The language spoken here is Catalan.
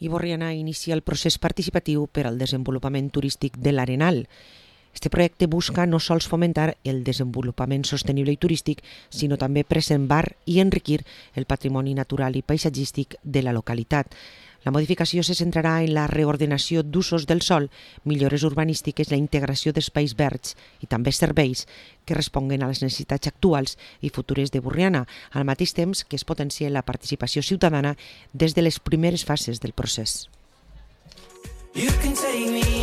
i Borriana inicia el procés participatiu per al desenvolupament turístic de l'Arenal. Este projecte busca no sols fomentar el desenvolupament sostenible i turístic, sinó també preservar i enriquir el patrimoni natural i paisatgístic de la localitat. La modificació se centrarà en la reordenació d'usos del sòl, millores urbanístiques, la integració d'espais verds i també serveis que responguen a les necessitats actuals i futures de Borriana, al mateix temps que es potencia la participació ciutadana des de les primeres fases del procés. You can take me